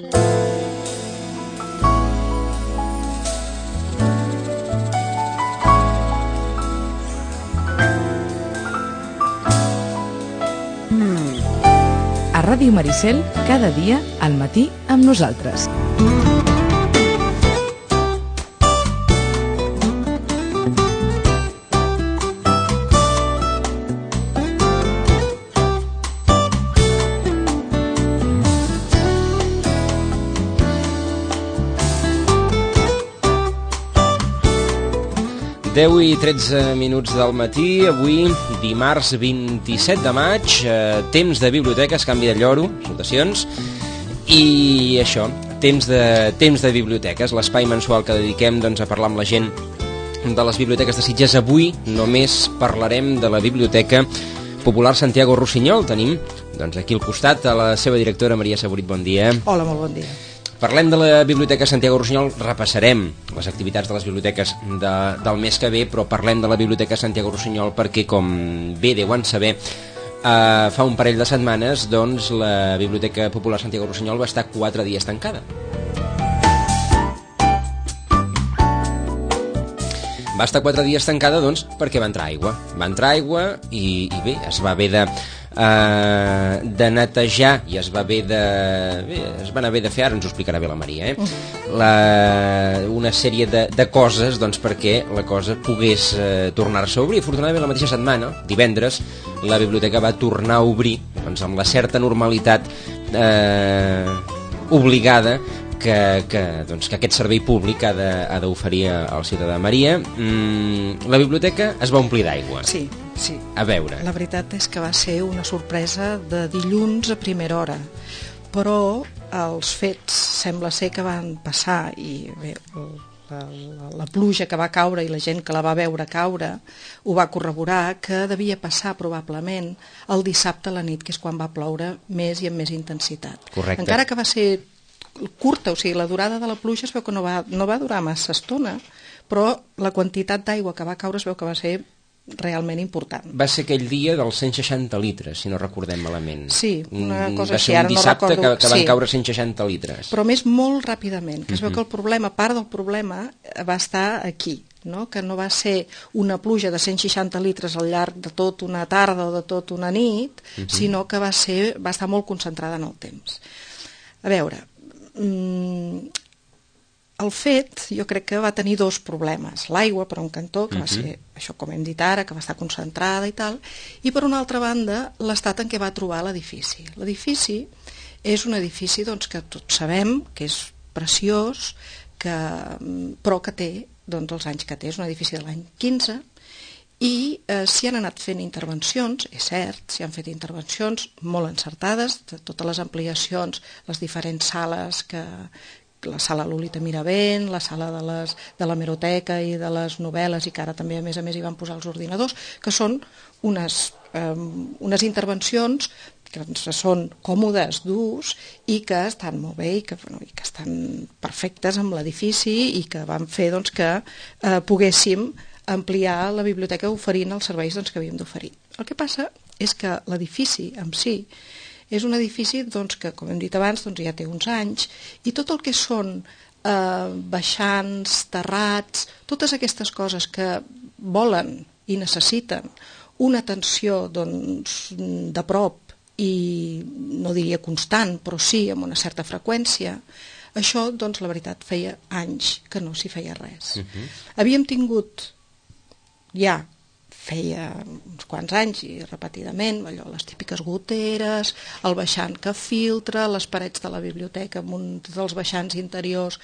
A Ràdio Maricel, cada dia al matí amb nosaltres. Deu i 13 minuts del matí, avui dimarts 27 de maig, temps de biblioteques, canvi de lloro, salutacions, i això, temps de biblioteques, l'espai mensual que dediquem a parlar amb la gent de les biblioteques de Sitges. Avui només parlarem de la Biblioteca Popular Santiago Rossinyol. Tenim aquí al costat a la seva directora, Maria Saborit, bon dia. Hola, molt bon dia. Parlem de la Biblioteca Santiago Rossinyol, repassarem les activitats de les biblioteques del mes que ve, però parlem de la Biblioteca Santiago Rossinyol perquè, com bé deuen saber, fa un parell de setmanes la Biblioteca Popular Santiago Rossinyol va estar 4 dies tancada. Va estar 4 dies tancada perquè va entrar aigua. Va entrar aigua i bé, es va haver de netejar i es van haver de fer, ara ens ho explicarà bé la Maria, una sèrie de coses perquè la cosa pogués tornar-se a obrir. Afortunadament, la mateixa setmana, divendres, la biblioteca va tornar a obrir amb la certa normalitat obligada que aquest servei públic ha d'oferir al ciutadà. Maria, la biblioteca es va omplir d'aigua. Sí. A veure. La veritat és que va ser una sorpresa de dilluns a primera hora, però els fets sembla ser que van passar i bé, la pluja que va caure i la gent que la va veure caure ho va corroborar, que devia passar probablement el dissabte a la nit, que és quan va ploure més i amb més intensitat. Correcte. Encara que va ser curta, o sigui, la durada de la pluja es veu que no va durar massa estona, però la quantitat d'aigua que va caure es veu que va ser realment important. Va ser aquell dia dels 160 litres, si no recordem malament. Sí, una cosa així. Va ser un dissabte que van caure 160 litres. Però més molt ràpidament, que es veu que el problema, part del problema, va estar aquí, no? Que no va ser una pluja de 160 litres al llarg de tot una tarda o de tot una nit, sinó que va estar molt concentrada en el temps. A veure, el fet, jo crec que va tenir dos problemes. L'aigua, per un cantó, que va ser, això com hem dit ara, que va estar concentrada i tal, i per una altra banda, l'estat en què va trobar l'edifici. L'edifici és un edifici que tots sabem que és preciós, però que té els anys que té. És un edifici de l'any 15, i s'hi han anat fent intervencions, és cert, s'hi han fet intervencions molt encertades, de totes les ampliacions, les diferents sales la sala Lolita Miravent, la sala de l'hemeroteca i de les novel·les, i que ara també a més hi van posar els ordinadors, que són unes intervencions que són còmodes d'ús i que estan molt bé i que estan perfectes amb l'edifici i que van fer que poguéssim ampliar la biblioteca oferint els serveis que havíem d'oferir. El que passa és que l'edifici en si és un edifici que, com hem dit abans, ja té uns anys, i tot el que són baixants, terrats, totes aquestes coses que volen i necessiten una atenció de prop i no diria constant, però sí amb una certa freqüència, això, la veritat, feia anys que no s'hi feia res. Havíem tingut ja feia uns quants anys i repetidament, les típiques goteres, el baixant que filtra, les parets de la biblioteca amb un dels baixants interiors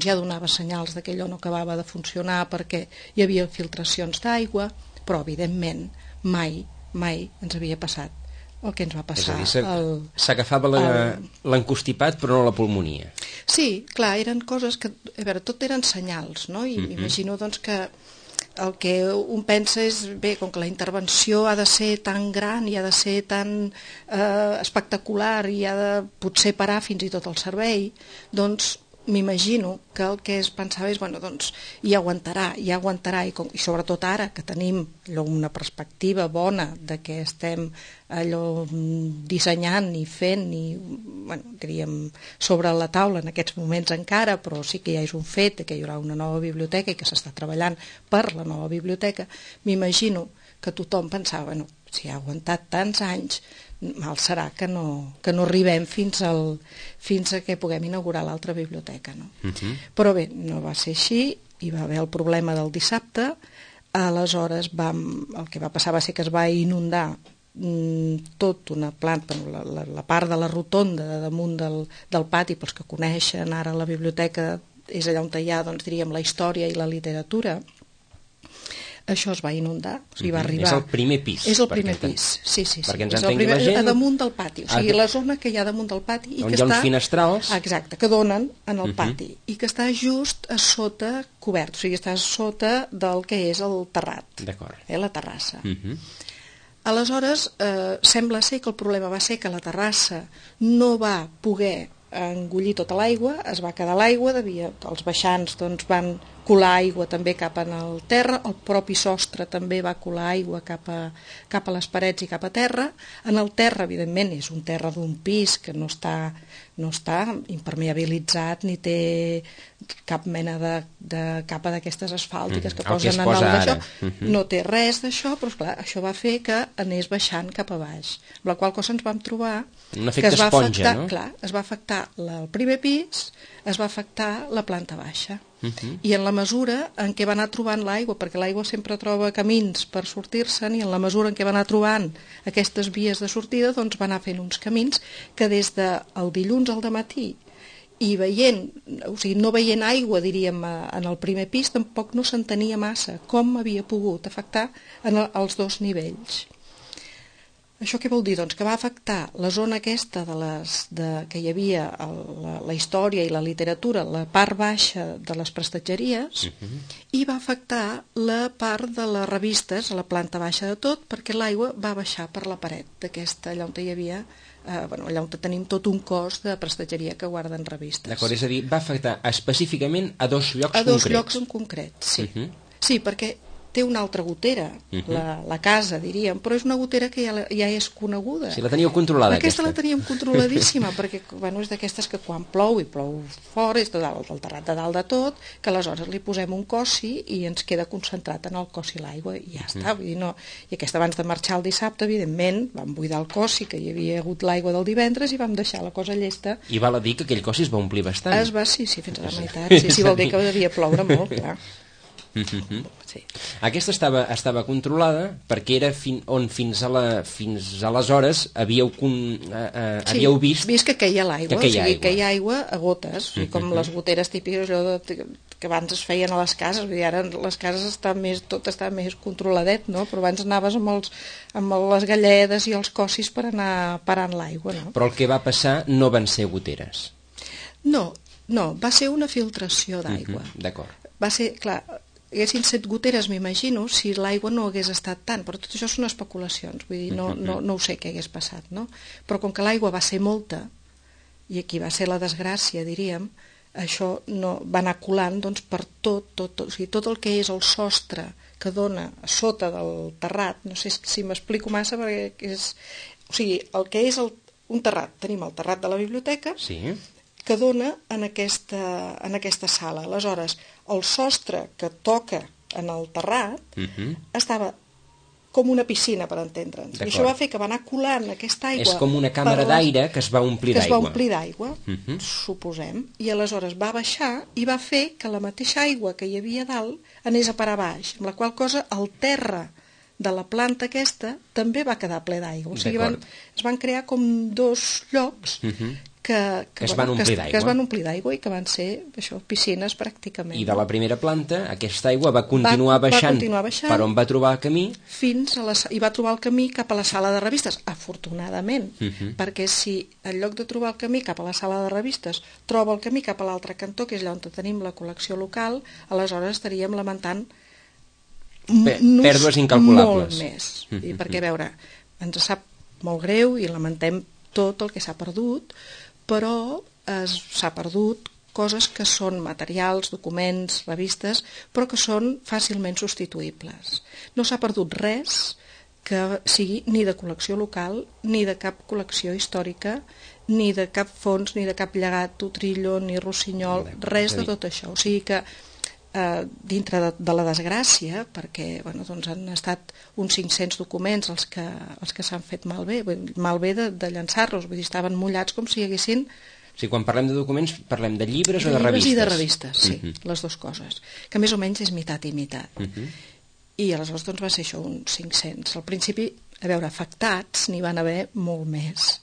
ja donava senyals que allò no acabava de funcionar perquè hi havia filtracions d'aigua, però evidentment mai ens havia passat el que ens va passar. És a dir, s'agafava l'encostipat però no la pulmonia. Sí, clar, eren coses que, a veure, tot eren senyals, no? I m'imagino que el que un pensa és, bé, com que la intervenció ha de ser tan gran i ha de ser tan espectacular i ha de potser parar fins i tot el servei, m'imagino que el que es pensava és, bueno, doncs, i aguantarà, i sobretot ara que tenim una perspectiva bona de què estem dissenyant i fent, diríem, sobre la taula en aquests moments encara, però sí que ja és un fet que hi haurà una nova biblioteca i que s'està treballant per la nova biblioteca. M'imagino que tothom pensava, bueno, si ha aguantat tants anys, mal serà que no arribem fins a que puguem inaugurar l'altra biblioteca, no? Però bé, no va ser així, hi va haver el problema del dissabte, aleshores el que va passar va ser que es va inundar tot una planta, la part de la rotonda de damunt del pati, pels que coneixen ara la biblioteca, és allà on hi ha, doncs diríem, la història i la literatura. Això es va inundar, o sigui, va arribar... És el primer pis. És el primer pis, sí. Perquè ens és entengui la gent... A damunt del pati, o sigui, la zona que hi ha damunt del pati... On hi ha uns finestrals... Exacte, que donen en el pati, i que està just a sota cobert, o sigui, està sota del que és el terrat, la terrassa. Aleshores, sembla ser que el problema va ser que la terrassa no va poder engollir tota l'aigua, es va quedar l'aigua, els baixants van colar aigua també cap al terra, el propi sostre també va colar aigua cap a les parets i cap a terra. En el terra, evidentment, és un terra d'un pis que no està impermeabilitzat ni té cap mena de capa d'aquestes asfàltiques que posen en dalt d'això. No té res d'això, però esclar, això va fer que anés baixant cap a baix. Amb la qual cosa ens vam trobar que es va afectar, clar, es va afectar el primer pis, es va afectar la planta baixa. I en la mesura en què va anar trobant l'aigua, perquè l'aigua sempre troba camins per sortir-se'n, i en la mesura en què va anar trobant aquestes vies de sortida, doncs va anar fent uns camins que des del dilluns al dematí i no veient aigua, diríem, en el primer pis, tampoc no s'entenia massa com havia pogut afectar els dos nivells. Això què vol dir? Doncs que va afectar la zona aquesta que hi havia la història i la literatura, la part baixa de les prestatgeries, i va afectar la part de les revistes, la planta baixa de tot, perquè l'aigua va baixar per la paret d'aquesta, allà on hi havia, allà on tenim tot un cos de prestatgeria que guarden revistes. D'acord, és a dir, va afectar específicament a dos llocs concrets. A dos llocs en concret, sí. Sí, perquè té una altra gotera, la casa, diríem, però és una gotera que ja és coneguda. Sí, la teníeu controlada, aquesta. La teníem controladíssima, perquè és d'aquestes que quan plou, i plou fora, és del terrat de dalt de tot, que aleshores li posem un cossi i ens queda concentrat en el cossi l'aigua, i ja està. Vull dir, no. I aquesta, abans de marxar el dissabte, evidentment, vam buidar el cossi, que hi havia hagut l'aigua del divendres, i vam deixar la cosa llesta. I val a dir que aquell cossi es va omplir bastant. Sí, fins a la meitat. Sí, vol dir que devia ploure molt, clar. Sí. Aquesta estava controlada perquè era on fins aleshores havíeu vist que queia l'aigua, queia aigua a gotes, com les goteres típiques que abans es feien a les cases. Ara les cases tot està més controladet, no? Però abans anaves amb les galledes i els cossis per anar parant l'aigua, no? Però el que va passar no van ser goteres. No, va ser una filtració d'aigua. D'acord. Va ser, clar, haguessin set goteres, m'imagino, si l'aigua no hagués estat tant, però tot això són especulacions, vull dir, no ho sé què hagués passat, no? Però com que l'aigua va ser molta, i aquí va ser la desgràcia, diríem, això va anar colant doncs, per tot, o sigui, tot el que és el sostre que dona a sota del terrat, no sé si m'explico massa, perquè o sigui, el que és un terrat, tenim el terrat de la biblioteca, sí, que dona en aquesta sala. Aleshores, el sostre que toca en el terrat estava com una piscina, per entendre'ns. I això va fer que va anar colant aquesta aigua... És com una càmera d'aire que es va omplir d'aigua. Que es va omplir d'aigua, suposem, i aleshores va baixar i va fer que la mateixa aigua que hi havia dalt anés a parar baix, amb la qual cosa el terra de la planta aquesta també va quedar ple d'aigua. O sigui, es van crear com dos llocs que es van omplir d'aigua i que van ser piscines pràcticament. I de la primera planta aquesta aigua va continuar baixant per on va trobar el camí i va trobar el camí cap a la sala de revistes, afortunadament, perquè si en lloc de trobar el camí cap a la sala de revistes troba el camí cap a l'altre cantó, que és allà on tenim la col·lecció local, aleshores estaríem lamentant pèrdues incalculables. Molt més. Perquè, a veure, ens sap molt greu i lamentem tot el que s'ha perdut, però s'ha perdut coses que són materials, documents, revistes, però que són fàcilment substituïbles. No s'ha perdut res que sigui ni de col·lecció local, ni de cap col·lecció històrica, ni de cap fons, ni de cap llegat, Utrillo, ni Rossinyol, res de tot això. O sigui que dintre de la desgràcia, perquè doncs han estat uns 500 documents els que s'han fet malbé de llançar-los, vull dir, estaven mullats com si hi haguessin... Sí, quan parlem de documents, parlem de llibres o de revistes? Llibres i de revistes, sí, les dues coses, que més o menys és meitat i meitat. I aleshores doncs va ser això, uns 500. Al principi, a veure, afectats n'hi van haver molt més,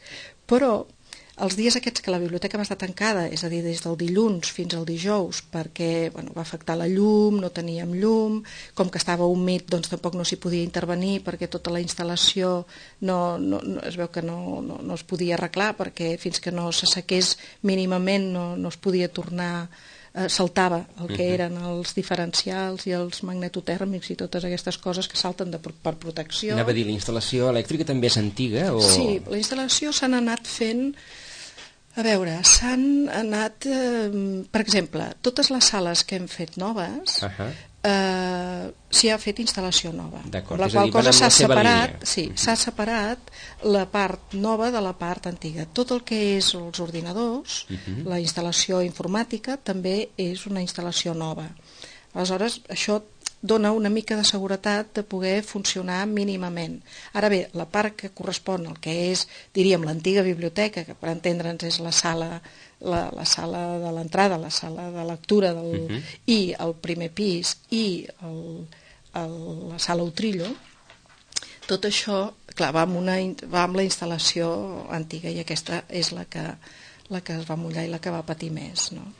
però els dies aquests que la biblioteca va estar tancada, és a dir, des del dilluns fins al dijous, perquè va afectar la llum, no teníem llum, com que estava humit doncs tampoc no s'hi podia intervenir perquè tota la instal·lació es veu que no es podia arreglar, perquè fins que no s'assequés mínimament no es podia tornar, saltava el que eren els diferencials i els magnetotèrmics i totes aquestes coses que salten per protecció. Anava a dir, la instal·lació elèctrica també és antiga? Sí, la instal·lació s'han anat fent... A veure, s'han anat... per exemple, totes les sales que hem fet noves, s'hi ha fet instal·lació nova. D'acord, la qual cosa s'ha separat, s'ha separat la part nova de la part antiga. Tot el que és els ordinadors, la instal·lació informàtica, també és una instal·lació nova. Aleshores, això dona una mica de seguretat de poder funcionar mínimament. Ara bé, la part que correspon al que és, diríem, l'antiga biblioteca, que per entendre'ns és la sala de l'entrada, la sala de lectura i el primer pis i la sala Utrillo, tot això, clar, va amb la instal·lació antiga i aquesta és la que es va mullar i la que va patir més, no?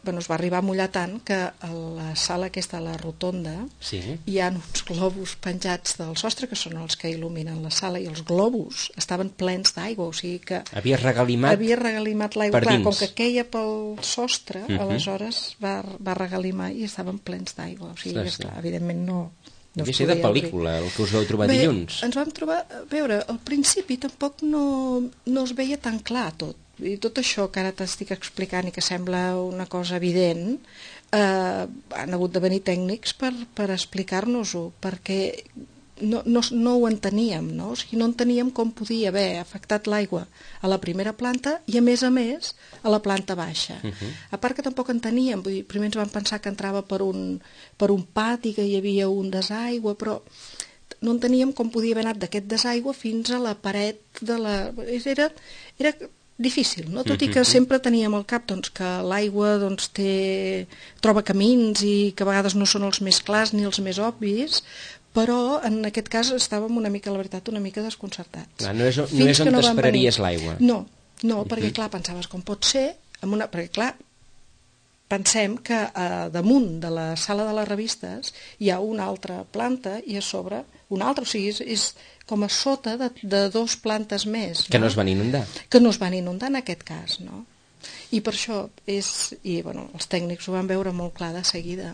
Es va arribar a mullar tant que a la sala aquesta, a la rotonda, hi ha uns globus penjats del sostre, que són els que il·luminen la sala, i els globus estaven plens d'aigua, o sigui que... Havia regalimat l'aigua, clar, com que queia pel sostre, aleshores va regalimar i estaven plens d'aigua, o sigui que, clar, evidentment no devia ser de pel·lícula, el que us vau trobar dilluns. Ens vam trobar, a veure, al principi tampoc no es veia tan clar tot. I tot això que ara t'estic explicant i que sembla una cosa evident, han hagut de venir tècnics per explicar-nos-ho, perquè no ho enteníem, no? O sigui, no enteníem com podia haver afectat l'aigua a la primera planta i a més a la planta baixa. A part que tampoc enteníem, vull dir, primer ens vam pensar que entrava per un pati, que hi havia un desaigua, però no enteníem com podia haver anat d'aquest desaigua fins a la paret de la... Era difícil, no? Tot i que sempre teníem al cap que l'aigua troba camins i que a vegades no són els més clars ni els més obvis, però en aquest cas estàvem una mica, la veritat, una mica desconcertats. No és on t'esperaries l'aigua. No, perquè clar, pensaves com pot ser, perquè clar, pensem que damunt de la sala de les revistes hi ha una altra planta i a sobre una altra, o sigui, és com a sota de dos plantes més. Que no es van inundar. Que no es van inundar en aquest cas, no? I per això els tècnics ho van veure molt clar de seguida.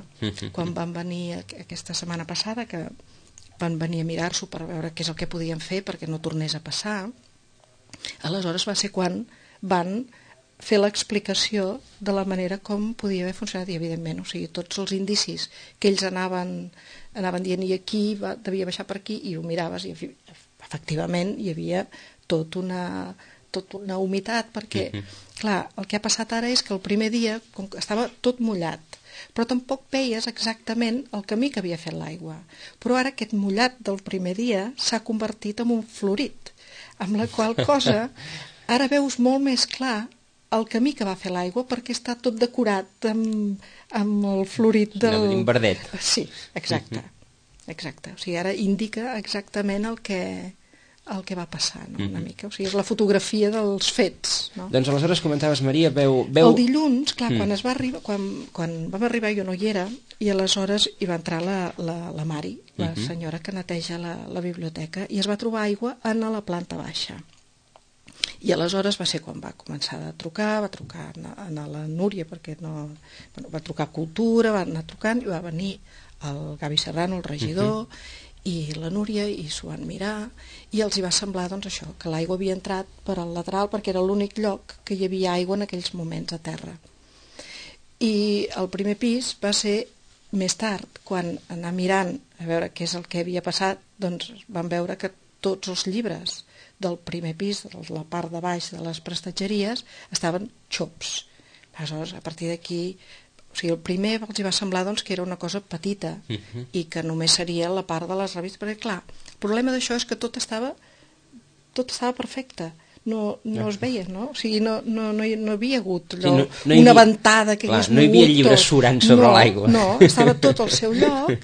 Quan van venir aquesta setmana passada, que van venir a mirar-s'ho per veure què és el que podien fer perquè no tornés a passar, aleshores va ser quan van fer l'explicació de la manera com podia haver funcionat i evidentment, o sigui, tots els indicis que ells anaven dient i aquí devia baixar per aquí i ho miraves i efectivament hi havia tota una humitat perquè, clar, el que ha passat ara és que el primer dia com que estava tot mullat, però tampoc veies exactament el camí que havia fet l'aigua, però ara aquest mullat del primer dia s'ha convertit en un florit, amb la qual cosa ara veus molt més clar el camí que va fer l'aigua perquè està tot decorat amb el florit del... verdet. Sí, exacte. O sigui, ara indica exactament el que va passar, no? Una mica. O sigui, és la fotografia dels fets, no? Doncs aleshores comentaves, Maria, veu... El dilluns, clar, quan vam arribar jo no hi era i aleshores hi va entrar la Mari, la senyora que neteja la biblioteca, i es va trobar aigua a la planta baixa. I aleshores va ser quan va començar a trucar, va trucar a la Núria, perquè va trucar a Cultura, va anar trucant, i va venir el Gavi Serrano, el regidor, i la Núria, i s'ho van mirar, i els hi va semblar doncs això, que l'aigua havia entrat per al lateral perquè era l'únic lloc que hi havia aigua en aquells moments a terra. I el primer pis va ser més tard, quan anar mirant a veure què és el que havia passat, doncs van veure que tots els llibres del primer pis, de la part de baix de les prestatgeries, estaven xops. Aleshores, a partir d'aquí, o sigui, el primer els hi va semblar doncs, que era una cosa petita i que només seria la part de les revistes, perquè clar, el problema d'això és que tot estava perfecte. No es veia, no? O sigui, no hi havia hagut allò, una ventada que hagués mogut. No hi havia llibres surant sobre l'aigua. No, estava tot al seu lloc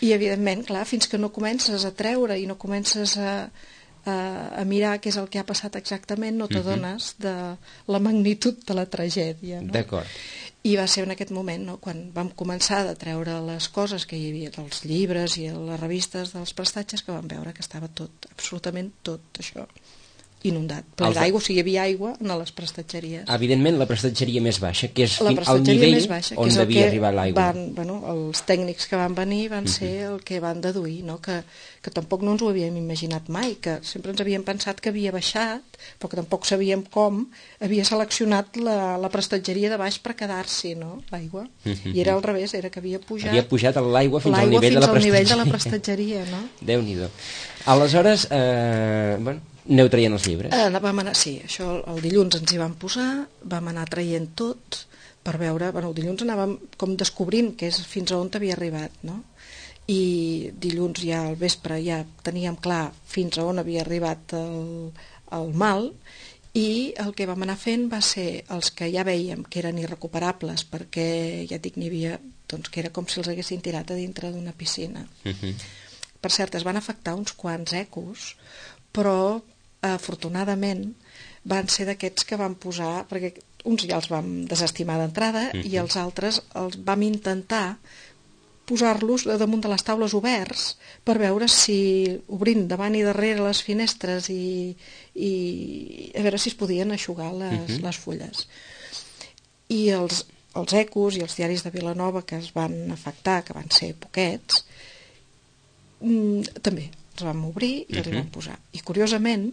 i, evidentment, clar, fins que no comences a treure i no comences a mirar què és el que ha passat exactament, no t'adones de la magnitud de la tragèdia. No? D'acord. I va ser en aquest moment, no, quan vam començar a treure les coses que hi havia dels llibres i les revistes dels prestatges, que vam veure que estava tot, absolutament tot això inundat. Però l'aigua, o sigui, hi havia aigua en les prestatgeries. Evidentment, la prestatgeria més baixa, que és el nivell on devia arribar l'aigua. Els tècnics que van venir van ser el que van deduir, no? Que tampoc no ens ho havíem imaginat mai, que sempre ens havíem pensat que havia baixat, però que tampoc sabíem com havia seleccionat la prestatgeria de baix per quedar-s'hi, no? L'aigua. I era al revés, era que havia pujat... Havia pujat l'aigua fins al nivell de la prestatgeria, no? Déu-n'hi-do. Aleshores, aneu traient els llibres? Sí, això el dilluns ens hi vam posar, vam anar traient tot per veure, el dilluns anàvem com descobrint fins a on havia arribat, no? I dilluns ja al vespre ja teníem clar fins a on havia arribat el mal, i el que vam anar fent va ser els que ja vèiem que eren irrecuperables, perquè ja dic, n'hi havia, doncs que era com si els haguessin tirat a dintre d'una piscina. Per cert, es van afectar uns quants ecos, però afortunadament van ser d'aquests que vam posar, perquè uns ja els vam desestimar d'entrada i els altres els vam intentar posar-los damunt de les taules oberts per veure si, obrint davant i darrere les finestres i a veure si es podien eixugar les fulles. I els ecos i els diaris de Vilanova que es van afectar, que van ser poquets, també els vam obrir i els hi vam posar. I curiosament,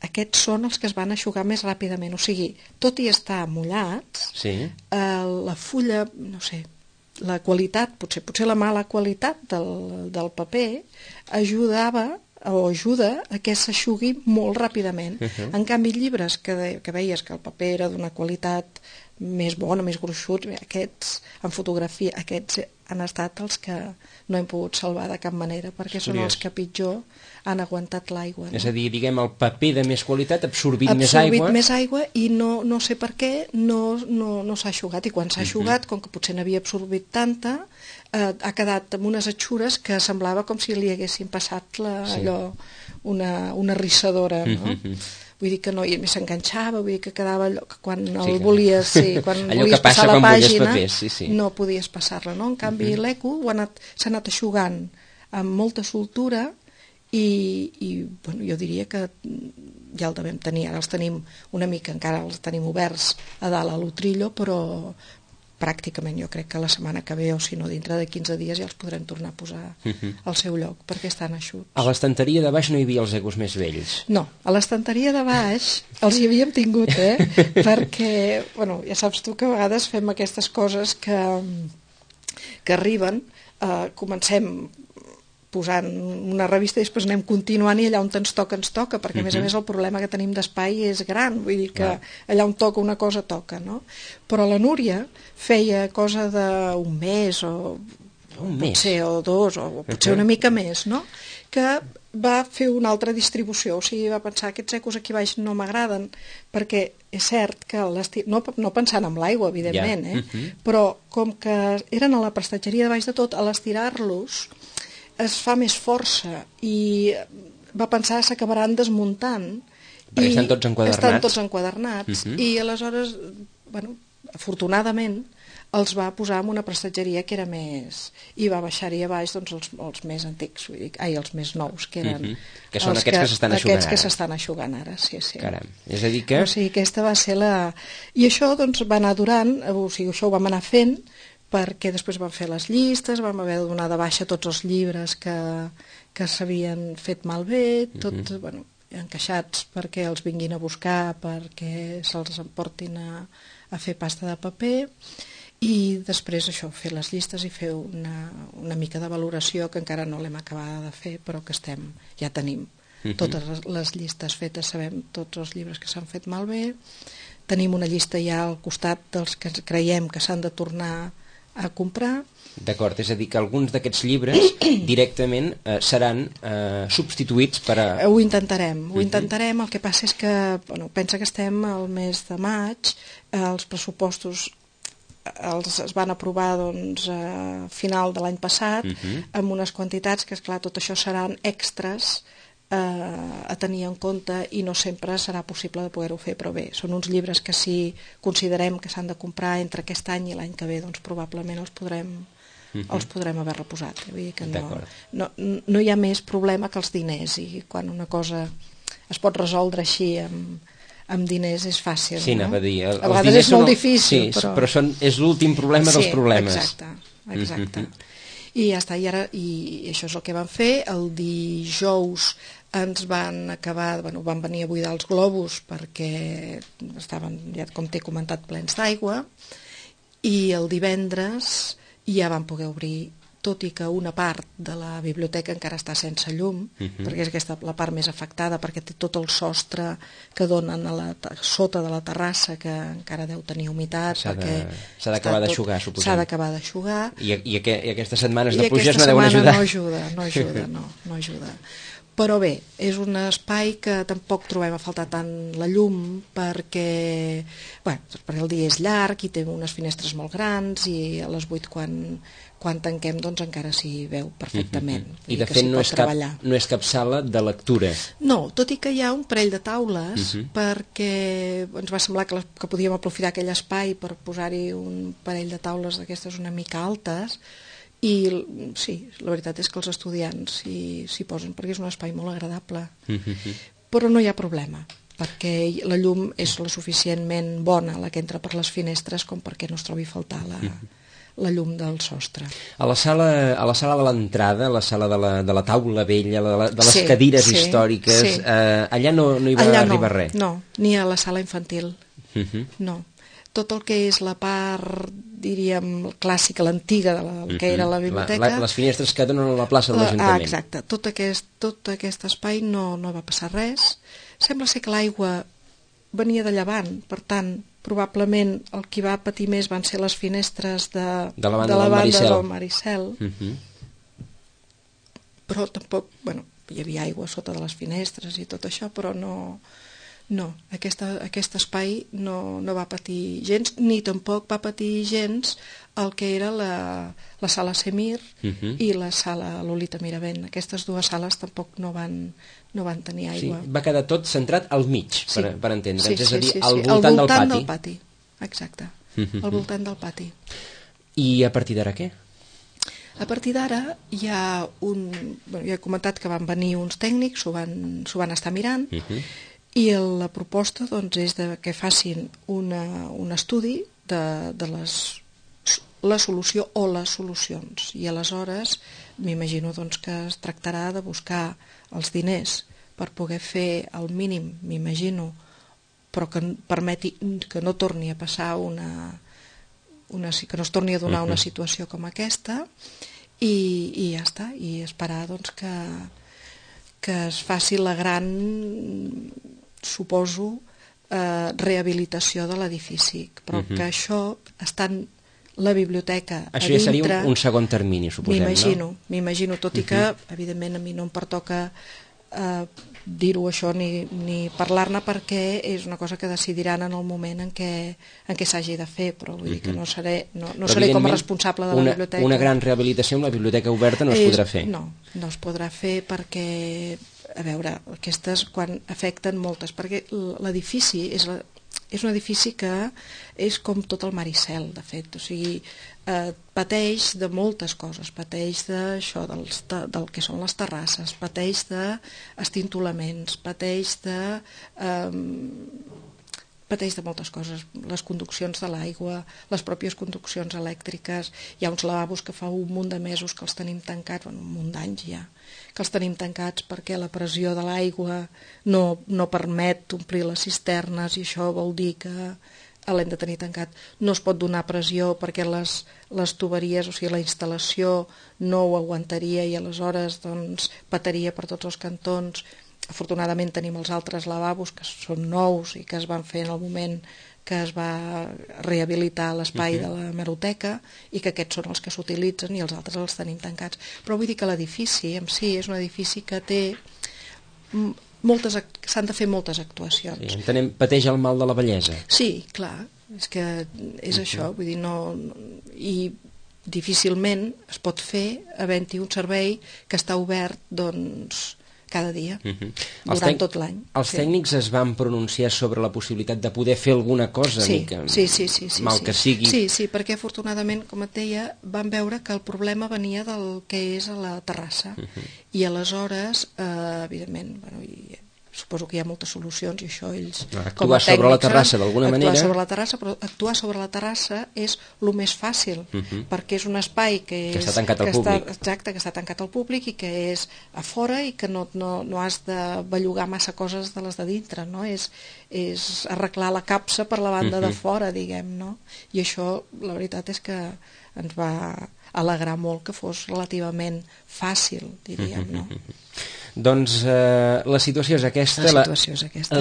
aquests són els que es van eixugar més ràpidament. O sigui, tot i estar mullats, la fulla, no sé, la qualitat, potser la mala qualitat del paper ajudava o ajuda a que s'eixugui molt ràpidament. En canvi, llibres que veies que el paper era d'una qualitat més bona, més gruixut, aquests, en fotografia, aquests han estat els que no hem pogut salvar de cap manera, perquè són els que pitjor han aguantat l'aigua. És a dir, diguem, el paper de més qualitat ha absorbit més aigua i no sé per què no s'ha eixugat, i quan s'ha eixugat, com que potser n'havia absorbit tanta, ha quedat amb unes atxures que semblava com si li haguessin passat una rissadora, no? Vull dir que no, i s'enganxava, vull dir que quedava allò que quan el volies, quan volies passar la pàgina, no podies passar-la, no? En canvi, l'eco s'ha anat eixugant amb molta soltura i jo diria que ja el devem tenir, ara els tenim una mica, encara els tenim oberts a dalt a l'Utrillo, però pràcticament jo crec que la setmana que ve, o si no dintre de 15 dies, ja els podrem tornar a posar al seu lloc, perquè estan eixuts. A l'estanteria de baix no hi havia els ecos més vells? No, a l'estanteria de baix els hi havíem tingut, perquè, ja saps tu que a vegades fem aquestes coses que arriben, comencem posant una revista i després anem continuant i allà on ens toca, perquè a més a més el problema que tenim d'espai és gran, vull dir que allà on toca una cosa toca, no? Però la Núria feia cosa d'un mes o potser o dos o potser una mica més, no? Que va fer una altra distribució, o sigui, va pensar aquests ecos aquí baix no m'agraden, perquè és cert que no pensant en l'aigua, evidentment, però com que eren a la prestatgeria de baix de tot, a l'estirar-los es fa més força i va pensar s'acabaran desmuntant perquè estan tots enquadernats i aleshores, afortunadament els va posar en una prestatgeria que era més, i va baixar-hi a baix els més antics, els més nous, que eren que són aquests que s'estan eixugant ara. Sí. Caram, és a dir que... O sigui, aquesta va ser la... I això va anar durant, o sigui, això ho vam anar fent, perquè després van fer les llistes, vam haver de donar de baixa tots els llibres que s'havien fet malbé, tot, bueno, encaixats perquè els vinguin a buscar, perquè se'ls emportin a fer pasta de paper, i després això, fer les llistes i fer una mica de valoració que encara no l'hem acabada de fer, però que ja tenim totes les llistes fetes, sabem tots els llibres que s'han fet malbé, tenim una llista ja al costat dels que creiem que s'han de tornar a comprar. D'acord, és a dir, que alguns d'aquests llibres directament seran substituïts per a... Ho intentarem, el que passa és que, bueno, pensa que estem al mes de maig, els pressupostos es van aprovar doncs, a final de l'any passat, amb unes quantitats que, esclar, tot això seran extras a tenir en compte i no sempre serà possible de poder-ho fer, però bé, són uns llibres que si considerem que s'han de comprar entre aquest any i l'any que ve, doncs probablement els podrem haver reposat. Vull dir que no hi ha més problema que els diners, i quan una cosa es pot resoldre així amb diners és fàcil. Sí, anava a dir. A vegades és molt difícil. Sí, però és l'últim problema dels problemes. Exacte. I ja està, i això és el que vam fer. El dijous ens van acabar, van venir a buidar els globus perquè estaven, ja com t'he comentat, plens d'aigua, i el divendres ja vam poder obrir, tot i que una part de la biblioteca encara està sense llum, perquè és aquesta la part més afectada, perquè té tot el sostre que donen sota de la terrassa, que encara deu tenir humitat. S'ha d'acabar d'aixugar, suposem. S'ha d'acabar d'aixugar. I aquestes setmanes de pluges no deuen ajudar. No ajuda. Però bé, és un espai que tampoc trobem a faltar tant la llum, perquè el dia és llarg i té unes finestres molt grans, i a les 8 quan tanquem doncs encara s'hi veu perfectament. I de fet no és cap sala de lectura. No, tot i que hi ha un parell de taules, perquè ens va semblar que podíem aprofitar aquell espai per posar-hi un parell de taules d'aquestes una mica altes, i sí, la veritat és que els estudiants s'hi posen, perquè és un espai molt agradable. Però no hi ha problema, perquè la llum és la suficientment bona, la que entra per les finestres, com perquè no es trobi a faltar la llum del sostre. A la sala de l'entrada, a la sala de la taula vella, de les cadires històriques, allà no hi va arribar res? No, ni a la sala infantil. No. Tot el que és la part, diríem, clàssica, l'antiga del que era la biblioteca... Les finestres que donen a la plaça de l'Ajuntament. Exacte. Tot aquest espai no va passar res. Sembla ser que l'aigua venia de llevant, per tant, probablement el que va patir més van ser les finestres de la banda del Maricel. Però tampoc, hi havia aigua sota de les finestres i tot això, però no, aquest espai no va patir gens, ni tampoc va patir gens el que era la sala Semir i la sala Lolita Miravent. Aquestes dues sales tampoc no van tenir aigua. Sí, va quedar tot centrat al mig, per entendre'ns, és a dir, al voltant del pati. Exacte, al voltant del pati. I a partir d'ara què? A partir d'ara hi ha ja he comentat que van venir uns tècnics, s'ho van estar mirant, i la proposta doncs, és que facin un estudi de la solució o les solucions, i aleshores m'imagino doncs, que es tractarà de buscar els diners per poder fer el mínim, m'imagino, però que permeti que no torni a passar que no es torni a donar una situació com aquesta, i ja està, i esperar doncs, que es faci la gran, suposo, rehabilitació de l'edifici, però que això estant la biblioteca a dintre... Això ja seria un segon termini, suposem, no? M'imagino, tot i que, evidentment, a mi no em pertoca dir-ho això ni parlar-ne, perquè és una cosa que decidiran en el moment en què s'hagi de fer, però vull dir que no seré com a responsable de la biblioteca. Una gran rehabilitació amb la biblioteca oberta no es podrà fer? No es podrà fer perquè, a veure, aquestes quan afecten moltes, perquè l'edifici és un edifici que és com tot el Maricel, de fet, o sigui, pateix de moltes coses, pateix d'això, del que són les terrasses, pateix d'estintolaments, pateix pateix de moltes coses, les conduccions de l'aigua, les pròpies conduccions elèctriques. Hi ha uns lavabos que fa un munt de mesos que els tenim tancats, un munt d'anys ja, que els tenim tancats perquè la pressió de l'aigua no permet omplir les cisternes, i això vol dir que l'hem de tenir tancat. No es pot donar pressió perquè les tuberies, o sigui, la instal·lació no ho aguantaria i aleshores doncs petaria per tots els cantons. Afortunadament tenim els altres lavabos que són nous i que es van fer en el moment que es va rehabilitar l'espai de la hemeroteca, i que aquests són els que s'utilitzen i els altres els tenim tancats. Però vull dir que l'edifici en si és un edifici que té s'han de fer moltes actuacions. Sí, entenem, pateix el mal de la vellesa. Sí, clar, és que és això, vull dir, i difícilment es pot fer havent-hi un servei que està obert, doncs, cada dia, durant tot l'any. Els tècnics es van pronunciar sobre la possibilitat de poder fer alguna cosa, sí, mal que sigui. Sí, perquè afortunadament, com et deia, van veure que el problema venia del que és a la terrassa, i aleshores, evidentment, suposo que hi ha moltes solucions, i això ells, actuar sobre la terrassa d'alguna manera. Actuar sobre la terrassa, però actuar sobre la terrassa és el més fàcil, perquè és un espai que està tancat al públic. Exacte, que està tancat al públic i que és a fora, i que no has de bellugar massa coses de les de dintre, no? És arreglar la capsa per la banda de fora, diguem, no? I això, la veritat és que ens va alegrar molt que fos relativament fàcil, diríem, no? Doncs la situació és aquesta.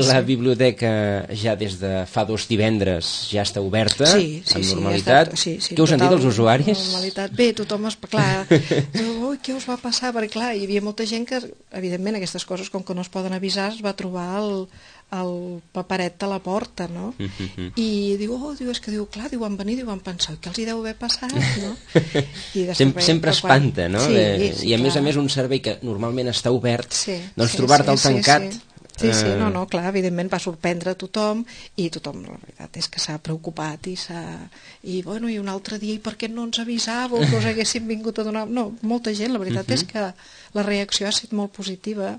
La biblioteca ja des de fa 2 divendres ja està oberta, amb normalitat. Què us han dit els usuaris? Bé, tothom clar, ui, què us va passar? Perquè clar, hi havia molta gent que, evidentment, aquestes coses, com que no es poden avisar, es va trobar el paperet a la porta, no? I diu, és que van venir, van pensar, què els hi deu haver passat, no? Sempre espanta, no? I a més un servei que normalment està obert, doncs trobar-te'l tancat... Sí, clar, evidentment va sorprendre a tothom, i tothom, la veritat és que s'ha preocupat i un altre dia, i per què no ens avisàveu que us haguéssim vingut a donar... No, molta gent, la veritat és que la reacció ha estat molt positiva,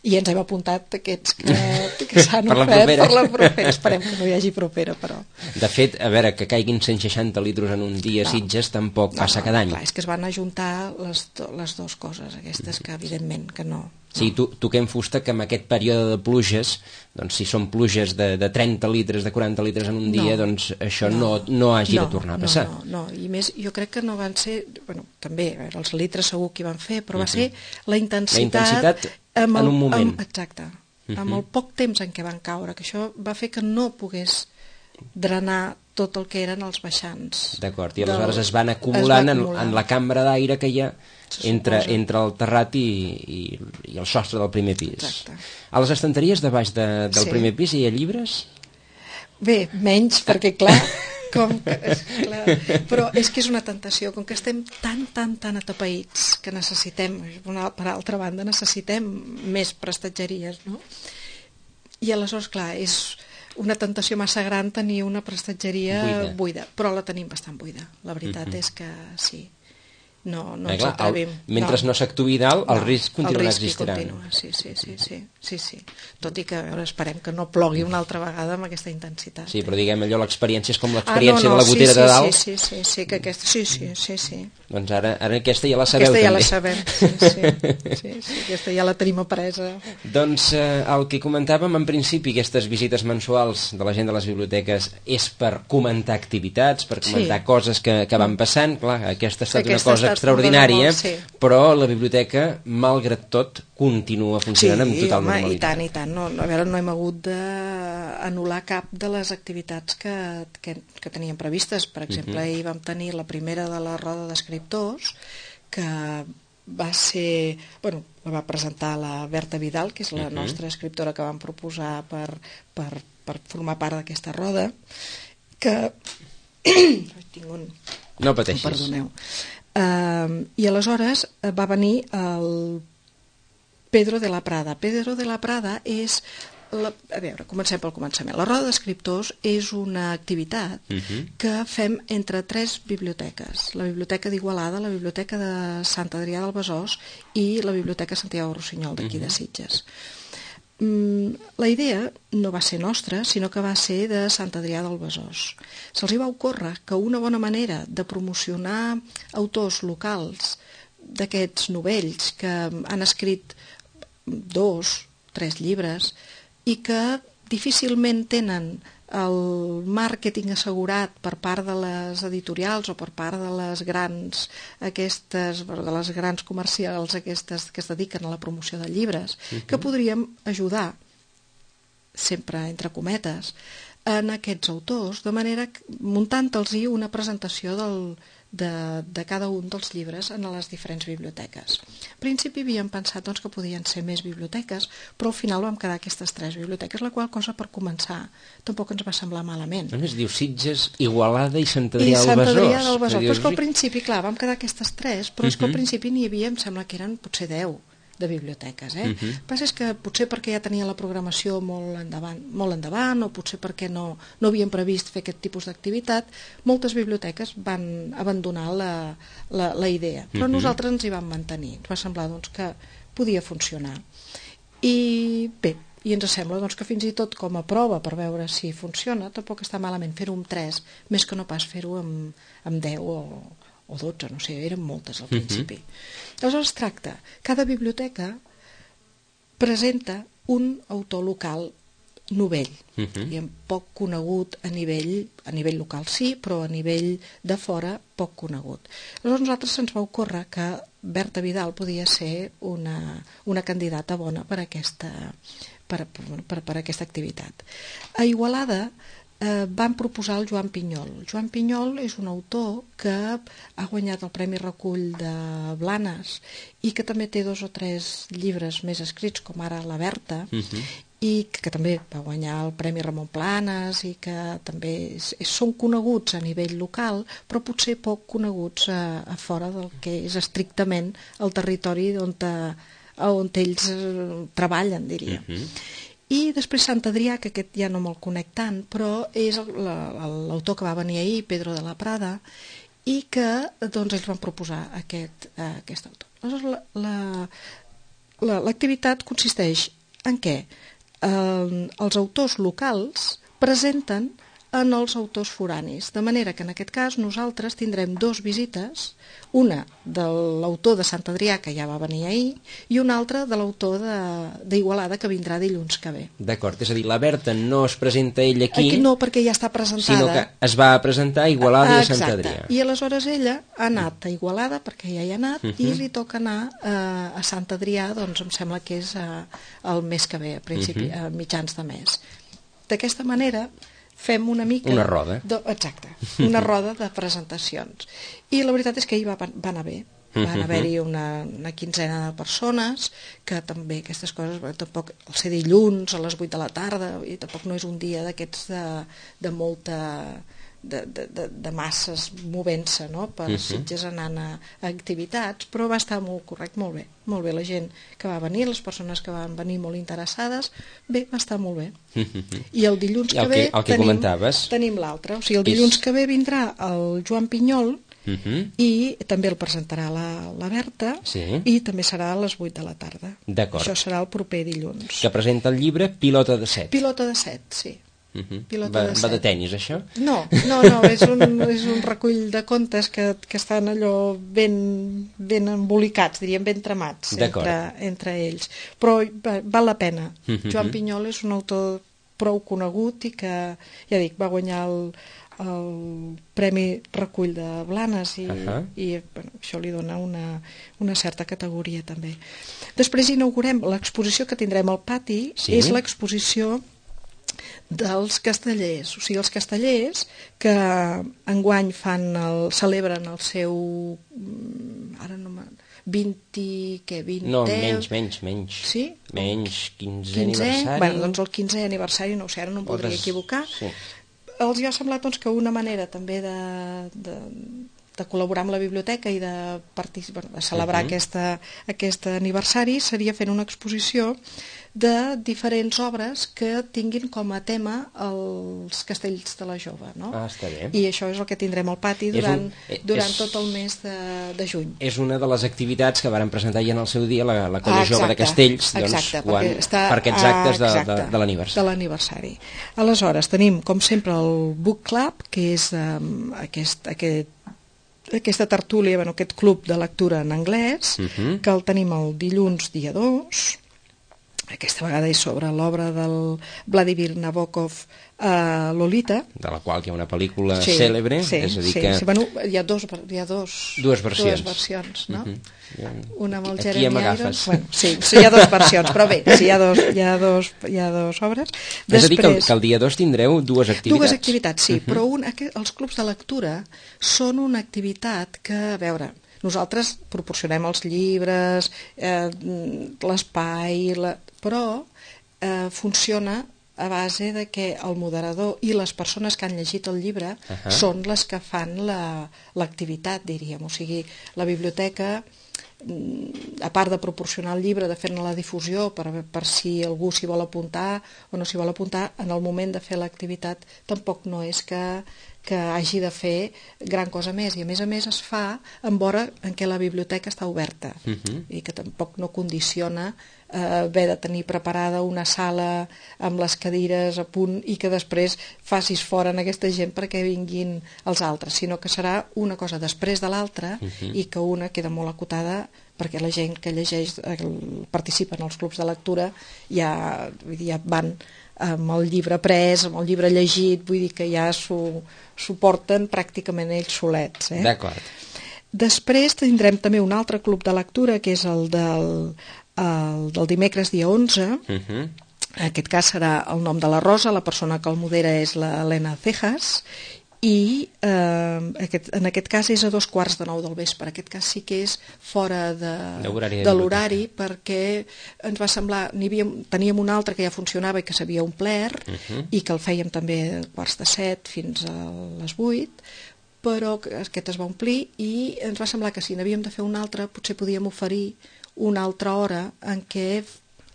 i ens hem apuntat aquests que s'han ofert per la propera. Esperem que no hi hagi propera, però... De fet, a veure, que caiguin 160 litres en un dia a Sitges tampoc passa cada any. Clar, és que es van ajuntar les dues coses, aquestes que evidentment que no... Sí, toquem fusta que en aquest període de pluges, doncs si són pluges de 30 litres, de 40 litres en un dia, doncs això no hagi de tornar a passar. No, i més, jo crec que no van ser... també, els litres segur que hi van fer, però va ser la intensitat en un moment. Exacte, amb el poc temps en què van caure, que això va fer que no pogués drenar tot el que eren els baixants. D'acord, i aleshores es van acumulant en la cambra d'aire que hi ha entre el terrat i el sostre del primer pis. Exacte. A les estanteries de baix del primer pis hi ha llibres? Bé, menys, perquè clar, però és que és una tentació, com que estem tan atapeïts que necessitem, per altra banda, necessitem més prestatgeries, no? I aleshores, clar, és una tentació massa gran tenir una prestatgeria buida, però la tenim bastant buida, la veritat és que sí. No ens atrevim. Mentre no s'actuï dalt, el risc continuarà existint. Sí. Tot i que esperem que no plogui una altra vegada amb aquesta intensitat. Sí, però diguem allò, l'experiència és com l'experiència de la gotera de dalt. Sí, que aquesta... Sí. Doncs ara aquesta ja la sabeu, també. Aquesta ja la sabem, sí, aquesta ja la tenim apresa. Doncs el que comentàvem en principi, aquestes visites mensuals de la gent de les biblioteques és per comentar activitats, per comentar coses que van passant. Clar, aquesta ha estat una cosa extraordinària, però la biblioteca, malgrat tot, continua funcionant amb total normalitat. I tant. No hem hagut d'anul·lar cap de les activitats que teníem previstes. Per exemple, ahir vam tenir la primera de la roda d'escriptors, que va ser... la va presentar la Berta Vidal, que és la nostra escriptora que vam proposar per formar part d'aquesta roda, que... No pateixis. Perdoneu. I aleshores va venir el Pedro de la Prada. Pedro de la Prada és... A veure, comencem pel començament. La roda d'escriptors és una activitat que fem entre 3 biblioteques. La Biblioteca d'Igualada, la Biblioteca de Sant Adrià del Besòs i la Biblioteca Santiago Rossinyol, d'aquí de Sitges. La idea no va ser nostra, sinó que va ser de Sant Adrià del Besòs. Se'ls va ocórrer que una bona manera de promocionar autors locals d'aquests novells que han escrit 2, 3 llibres i que difícilment tenen el màrqueting assegurat per part de les editorials o per part de les grans comercials aquestes que es dediquen a la promoció de llibres, que podríem ajudar, sempre entre cometes, en aquests autors, de manera que muntant-los una presentació de cada un dels llibres en les diferents biblioteques. Al principi havíem pensat que podien ser més biblioteques, però al final vam quedar aquestes 3 biblioteques, la qual cosa per començar tampoc ens va semblar malament. Es diu Sitges, Igualada i Sant Adrià del Besòs. I Sant Adrià del Besòs, però és que al principi, clar, vam quedar aquestes 3, però és que al principi n'hi havia, em sembla que eren potser 10 de biblioteques. El que passa és que potser perquè ja tenia la programació molt endavant o potser perquè no havien previst fer aquest tipus d'activitat, moltes biblioteques van abandonar la idea. Però nosaltres ens hi vam mantenir. Ens va semblar que podia funcionar. I bé, i ens sembla que fins i tot com a prova per veure si funciona, tampoc està malament fer-ho amb 3, més que no pas fer-ho amb 10 o 12, no sé, eren moltes al principi. Aleshores es tracta, cada biblioteca presenta un autor local novell, poc conegut a nivell local sí, però a nivell de fora poc conegut. Aleshores nosaltres se'ns va ocórrer que Berta Vidal podia ser una candidata bona per aquesta activitat. A Igualada van proposar el Joan Pinyol. Joan Pinyol és un autor que ha guanyat el Premi Recull de Blanes i que també té 2 o 3 llibres més escrits, com ara La Berta, i que també va guanyar el Premi Ramon Planes i que també són coneguts a nivell local, però potser poc coneguts a fora del que és estrictament el territori on ells treballen, diria. I després Sant Adrià, que aquest ja no me'l conec tant, però és l'autor que va venir ahir, Pedro de la Prada, i que ells van proposar aquest autor. Aleshores, l'activitat consisteix en què els autors locals presenten en els autors foranis, de manera que en aquest cas nosaltres tindrem 2 visites, una de l'autor de Sant Adrià, que ja va venir ahir, i una altra de l'autor d'Igualada, que vindrà dilluns que ve. D'acord, és a dir, la Berta no es presenta ell aquí, no, perquè ja està presentada, sinó que es va presentar a Igualada i a Sant Adrià. I aleshores ella ha anat a Igualada, perquè ja hi ha anat, i li toca anar a Sant Adrià, doncs em sembla que és el mes que ve, a mitjans de mes. D'aquesta manera fem una mica... Una roda. Exacte, una roda de presentacions. I la veritat és que ahir va anar bé. Van haver-hi una quinzena de persones, que també aquestes coses, tampoc el ser dilluns a les 8 de la tarda, i tampoc no és un dia d'aquests de molta... de masses movent-se, no?, per Sitges anant a activitats, però va estar molt correcte, molt bé la gent que va venir, les persones que van venir molt interessades, bé, va estar molt bé. I el dilluns que ve tenim l'altre, o sigui, el dilluns que ve vindrà el Joan Pinyol i també el presentarà la Berta i també serà a les 8 de la tarda. Això serà el proper dilluns. Que presenta el llibre Pilota de Set. Pilota de Set, sí. Va de tenis, això? No, és un recull de contes que estan allò ben embolicats, diríem ben tramats entre ells, però val la pena. Joan Pinyol és un autor prou conegut i que, ja dic, va guanyar el Premi Recull de Blanes i això li dona una certa categoria també. Després inaugurem l'exposició que tindrem al pati, és l'exposició dels castellers, o sigui, els castellers que enguany celebren el seu 20... No, menys. Sí? Menys, 15è aniversari. Bé, doncs el 15è aniversari, no ho sé, ara no em podria equivocar. Els ha semblat que una manera també de col·laborar amb la biblioteca i de celebrar aquest aniversari seria fent una exposició de diferents obres que tinguin com a tema els castells de la jove, no? Està bé. I això és el que tindrem al pati durant tot el mes de juny. És una de les activitats que varen presentar ja en el seu dia la Colla Jove de Castells, doncs, per aquests actes de l'aniversari. De l'aniversari. Aleshores, tenim, com sempre, el Book Club, que és aquesta tertúlia, aquest club de lectura en anglès, que el tenim el dilluns dia 2. Aquesta vegada és sobre l'obra del Vladimir Nabokov, Lolita, de la qual hi ha una pel·lícula cèlebre, és a dir que... Bueno, hi ha dues versions, no? Una amb el Jeremy Irons. Bueno, sí, hi ha dues versions, però bé, hi ha dues obres. És a dir que el dia 2 tindreu dues activitats. Dues activitats, sí, però els clubs de lectura són una activitat que, a veure, nosaltres proporcionem els llibres, l'espai, però funciona a base de que el moderador i les persones que han llegit el llibre són les que fan l'activitat, diríem. O sigui, la biblioteca, a part de proporcionar el llibre, de fer-ne la difusió per si algú s'hi vol apuntar o no s'hi vol apuntar, en el moment de fer l'activitat tampoc no és que hagi de fer gran cosa més, i a més es fa en hora en què la biblioteca està oberta i que tampoc no condiciona haver de tenir preparada una sala amb les cadires a punt i que després facis fora en aquesta gent perquè vinguin els altres, sinó que serà una cosa després de l'altra i que una queda molt acotada perquè la gent que llegeix, participa en els clubs de lectura ja van amb el llibre pres, amb el llibre llegit, vull dir que ja s'ho porten pràcticament ells solets. D'acord. Després tindrem també un altre club de lectura, que és el del dimecres dia 11. En aquest cas serà el nom de la Rosa, la persona que el modera és l'Helena Cejas, i en aquest cas és a 8:45 del vespre. En aquest cas sí que és fora de l'horari, perquè ens va semblar, teníem un altre que ja funcionava i que s'havia omplert i que el fèiem també a 6:45 fins a les 8, però aquest es va omplir i ens va semblar que si n'havíem de fer un altre potser podíem oferir una altra hora en què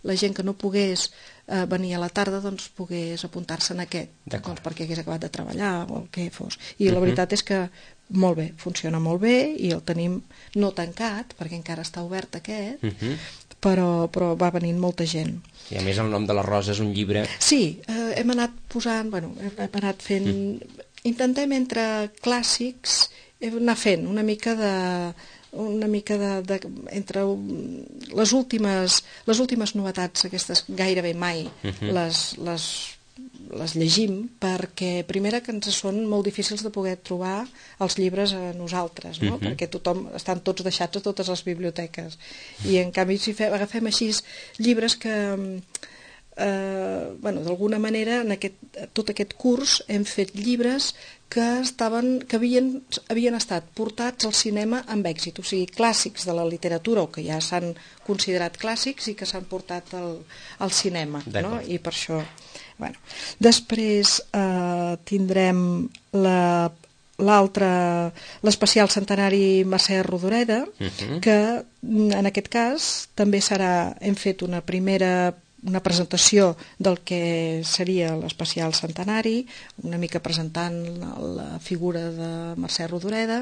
la gent que no pogués venir a la tarda doncs pogués apuntar-se en aquest, doncs, perquè hagués acabat de treballar o el que fos. I la veritat és que molt bé, funciona molt bé i el tenim no tancat perquè encara està obert aquest, però va venint molta gent. I a més el nom de la Rosa és un llibre... Sí, hem anat posant, hem anat fent... Intentem entre clàssics anar fent una mica entre les últimes novetats, aquestes gairebé mai les llegim, perquè primera que ens són molt difícils de poder trobar els llibres a nosaltres, no? Perquè estan tots deixats a totes les biblioteques, i en canvi si agafem així llibres que d'alguna manera en tot aquest curs hem fet llibres que havien estat portats al cinema amb èxit, o sigui, clàssics de la literatura o que ja s'han considerat clàssics i que s'han portat al cinema, no? I per això... Després tindrem l'especial centenari Mercè Rodoreda, que en aquest cas també hem fet una presentació del que seria l'especial centenari, una mica presentant la figura de Mercè Rodoreda,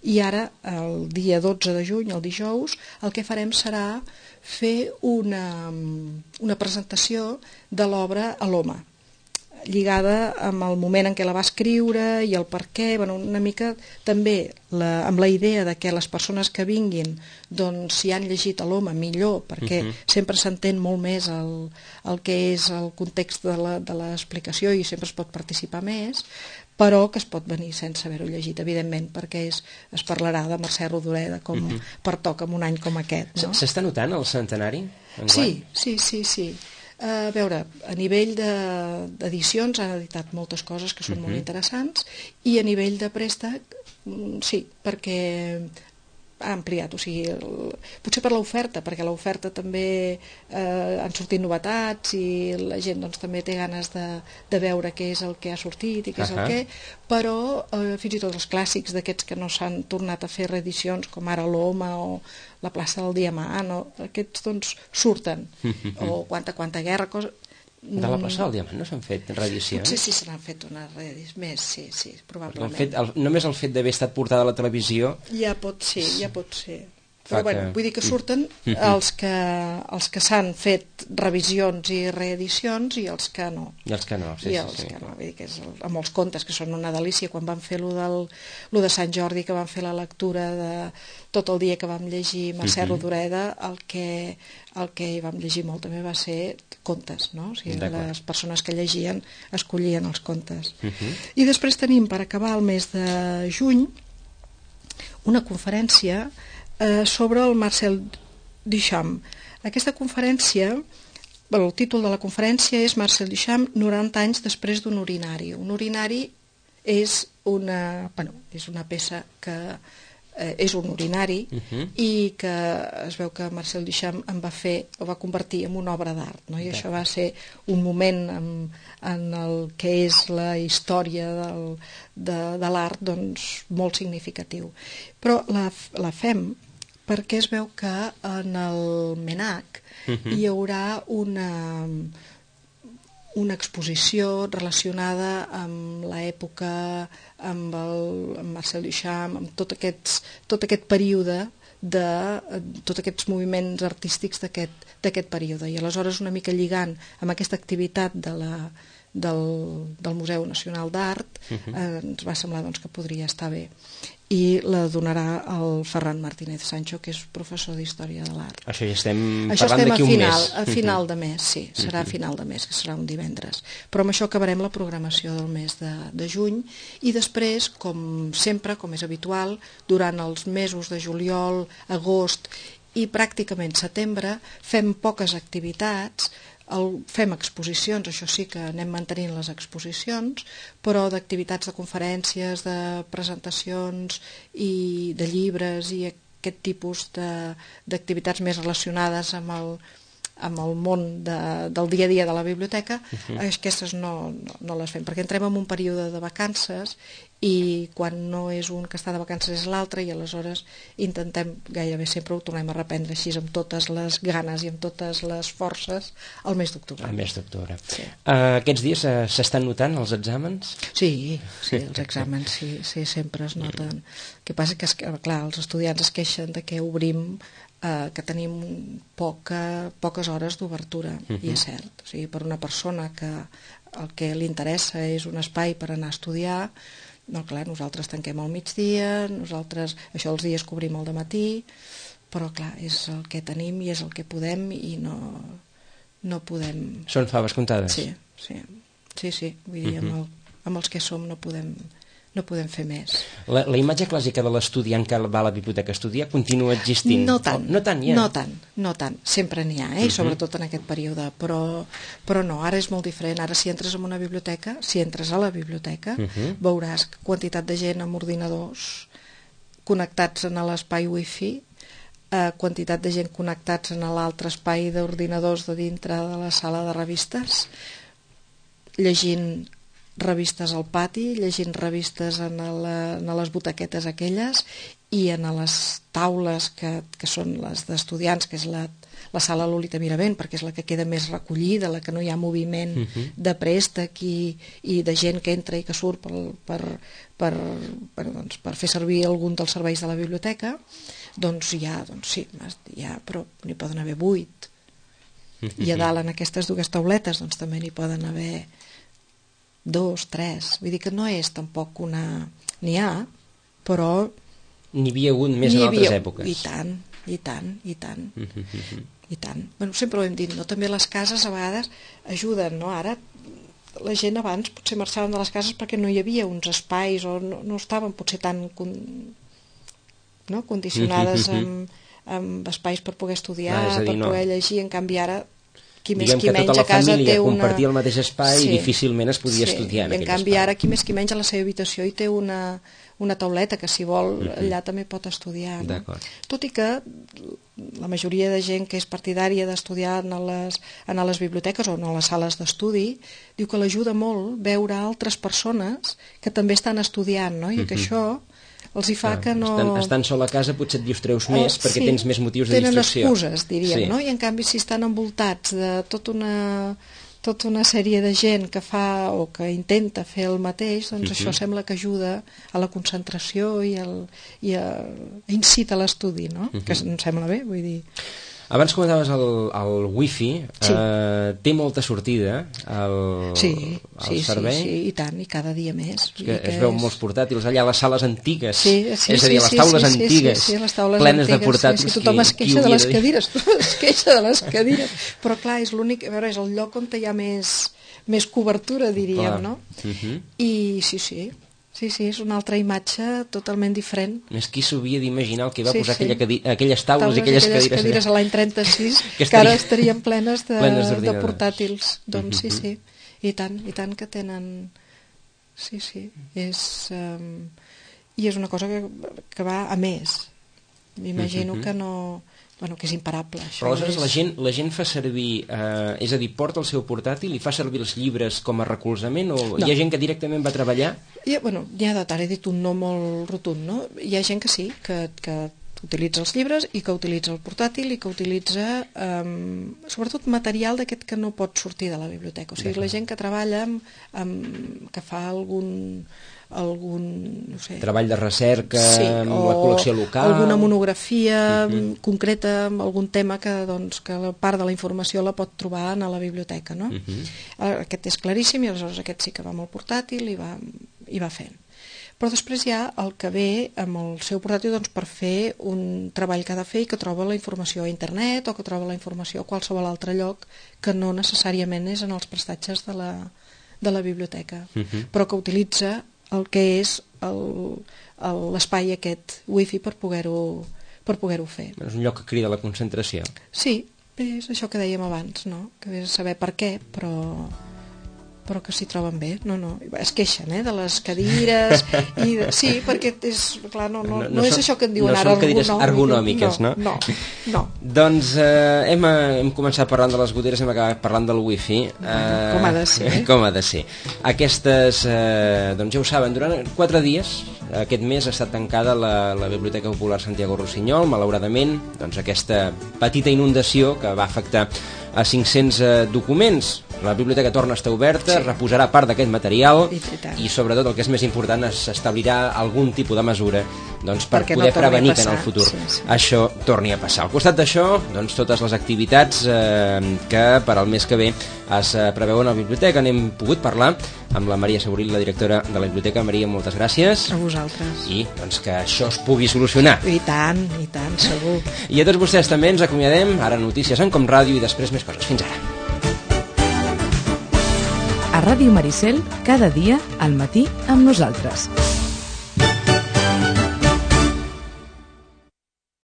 i ara el dia 12 de juny, el dijous, el que farem serà fer una presentació de l'obra a l'Home, lligada amb el moment en què la va escriure i el per què, una mica també amb la idea de que les persones que vinguin, doncs si han llegit a l'Home millor, perquè sempre s'entén molt més el que és el context de l'explicació i sempre es pot participar més, però que es pot venir sense haver-ho llegit, evidentment, perquè es parlarà de Mercè Rodoreda com pertoca en un any com aquest. S'està notant el centenari? Sí. A veure, a nivell d'edicions han editat moltes coses que són molt interessants, i a nivell de préstec sí, perquè ha ampliat, o sigui, potser per l'oferta, perquè l'oferta també han sortit novetats i la gent doncs, també té ganes de veure què és el que ha sortit i què és el que, però fins i tot els clàssics d'aquests que no s'han tornat a fer reedicions, com ara l'Home o la plaça del Diamant, aquests doncs surten, o Quanta guerra, cosa... De la plaça del Diamant no s'han fet reedicions? Potser sí se n'han fet una reedició més, sí, probablement. Només el fet d'haver estat portada a la televisió... Ja pot ser. Però bueno, vull dir que surten els que s'han fet revisions i reedicions i els que no. I els que no, sí. Vull dir que amb els contes, que són una delícia, quan van fer lo de Sant Jordi, que van fer la lectura de tot el dia que vam llegir Mercè Rodoreda, el que hi vam llegir molt també va ser contes, no? O sigui, les persones que llegien escollien els contes. I després tenim, per acabar el mes de juny, una conferència sobre el Marcel Duchamp. Aquesta conferència, el títol de la conferència és Marcel Duchamp, 90 anys després d'un urinari. Un urinari és una peça que és un urinari i que es veu que Marcel Duchamp ho va convertir en una obra d'art, no? I això va ser un moment en el que és la història de l'art doncs, molt significatiu. Però la fem perquè es veu que en el MENAC hi haurà una exposició relacionada amb l'època, amb Marcel Duchamp, amb tot aquest període, tots aquests moviments artístics d'aquest període. I aleshores, una mica lligant amb aquesta activitat del Museu Nacional d'Art, ens va semblar doncs, que podria estar bé. I la donarà el Ferran Martínez Sancho, que és professor d'Història de l'Art. Això ja estem parlant d'aquí un mes. A final de mes, sí, serà a final de mes, que serà un divendres. Però amb això acabarem la programació del mes de juny i després, com sempre, com és habitual, durant els mesos de juliol, agost i pràcticament setembre, fem poques activitats, fem exposicions, això sí que anem mantenint les exposicions, però d'activitats de conferències, de presentacions i de llibres i aquest tipus d'activitats més relacionades amb el món del dia a dia de la biblioteca, aquestes no les fem, perquè entrem en un període de vacances i quan no és un que està de vacances és l'altre i aleshores intentem, gairebé sempre ho tornem a reprendre així amb totes les ganes i amb totes les forces al mes d'octubre. Al mes d'octubre. Sí. Aquests dies s'estan notant els exàmens? Sí, els exàmens sí, sempre es noten. El que passa que, clar, els estudiants es queixen de que obrim que tenim poques hores d'obertura, i és cert. O sigui, per una persona que el que li interessa és un espai per anar a estudiar, no, clar, nosaltres tanquem al migdia, això els dies cobrim al dematí, però clar, és el que tenim i és el que podem i no podem... Són faves comptades? Sí, vull dir, amb els que som no podem fer més. La imatge clàssica de l'estudiant que va a la biblioteca a estudiar continua existint? No tant, ja. no tant. Sempre n'hi ha, sobretot en aquest període, però no, ara és molt diferent. Ara si entres en una biblioteca, si entres a la biblioteca, veuràs quantitat de gent amb ordinadors connectats en l'espai wifi, quantitat de gent connectats en l'altre espai d'ordinadors de dintre de la sala de revistes, llegint revistes al pati, llegint revistes en les butaquetes aquelles i en les taules que són les d'estudiants, que és la sala Lolita Miravent, perquè és la que queda més recollida, la que no hi ha moviment de préstec i de gent que entra i que surt per fer servir algun dels serveis de la biblioteca, doncs sí, però n'hi poden haver 8. I a dalt en aquestes dues tauletes doncs també n'hi poden haver 2, 3, vull dir que no és tampoc una... N'hi ha, però... N'hi havia hagut més en altres èpoques. I tant. Bueno, sempre ho hem dit, no? També les cases a vegades ajuden, no? Ara la gent abans potser marxaven de les cases perquè no hi havia uns espais o no estaven potser tan condicionades amb espais per poder estudiar, per poder llegir, en canvi ara qui més qui menys a casa té una... compartia el mateix espai i difícilment es podia estudiar en aquell espai. En canvi ara qui més qui menys a la seva habitació hi té una una tauleta que si vol allà també pot estudiar, no? Tot i que la majoria de gent que és partidària d'estudiar en les biblioteques o en les sales d'estudi diu que l'ajuda molt veure altres persones que també estan estudiant, no? I que això els hi fa que no... Estan sol a casa potser et distreus més perquè tens més motius de distracció. Tenen excuses, diríem, no? I en canvi si estan envoltats de tota una sèrie de gent que fa o que intenta fer el mateix, doncs això sembla que ajuda a la concentració i incita a l'estudi, no? Que em sembla bé, vull dir... Abans comentaves el wifi, té molta sortida el servei? Sí, i tant, i cada dia més. Es veu molts portàtils allà a les sales antigues, és a dir, a les taules antigues, plenes de portàtils. Tothom es queixa de les cadires, tothom es queixa de les cadires, però clar, és l'únic, a veure, és el lloc on hi ha més cobertura, diríem, no? I sí, és una altra imatge totalment diferent. És qui s'havia d'imaginar el que va posar aquelles taules i aquelles cadires a l'any 36, que ara estarien plenes de portàtils. Doncs sí, i tant que tenen... Sí, i és una cosa que va a més. M'imagino que no... Bueno, que és imparable. Però aleshores la gent fa servir, és a dir, porta el seu portàtil i fa servir els llibres com a recolzament o hi ha gent que directament va treballar? N'hi ha de tant, he dit un no molt rotund, no? Hi ha gent que sí, que utilitza els llibres i que utilitza el portàtil i que utilitza sobretot material d'aquest que no pot sortir de la biblioteca. O sigui, la gent que treballa que fa algun no sé, treball de recerca amb la col·lecció local, alguna monografia concreta amb algun tema que la part de la informació la pot trobar a la biblioteca, no? Aquest és claríssim i aleshores aquest sí que va amb el portàtil i va fent. Però després hi ha el que ve amb el seu portàtil per fer un treball que ha de fer i que troba la informació a internet o que troba la informació a qualsevol altre lloc que no necessàriament és en els prestatges de la biblioteca, però que utilitza el que és l'espai aquest wifi per poder-ho fer. És un lloc que crida la concentració. Sí, és això que dèiem abans, no? Que és saber per què, però que s'hi troben bé. No, es queixen, de les cadires sí, perquè és, clar, no és això que en diuen ara ergonòmiques, no? No. Doncs hem començat parlant de les goteres, hem acabat parlant del wifi. Com ha de ser. Com ha de ser. Aquestes, doncs ja ho saben, durant 4 dies, aquest mes ha estat tancada la Biblioteca Popular Santiago Rossinyol, malauradament, doncs aquesta petita inundació que va afectar a 500 documents. La biblioteca torna a estar oberta, reposarà part d'aquest material i sobretot el que és més important s'establirà algun tipus de mesura per poder prevenir que en el futur això torni a passar. Al costat d'això, totes les activitats que per al mes que ve es preveuen a la biblioteca. N'hem pogut parlar amb la Maria Saboril, la directora de la biblioteca. Maria, moltes gràcies. A vosaltres. I que això es pugui solucionar. I tant, segur. I a tots vostès també ens acomiadem. Ara notícies en Com Ràdio i després més coses. Fins ara. A Ràdio Maricel, cada dia al matí amb nosaltres.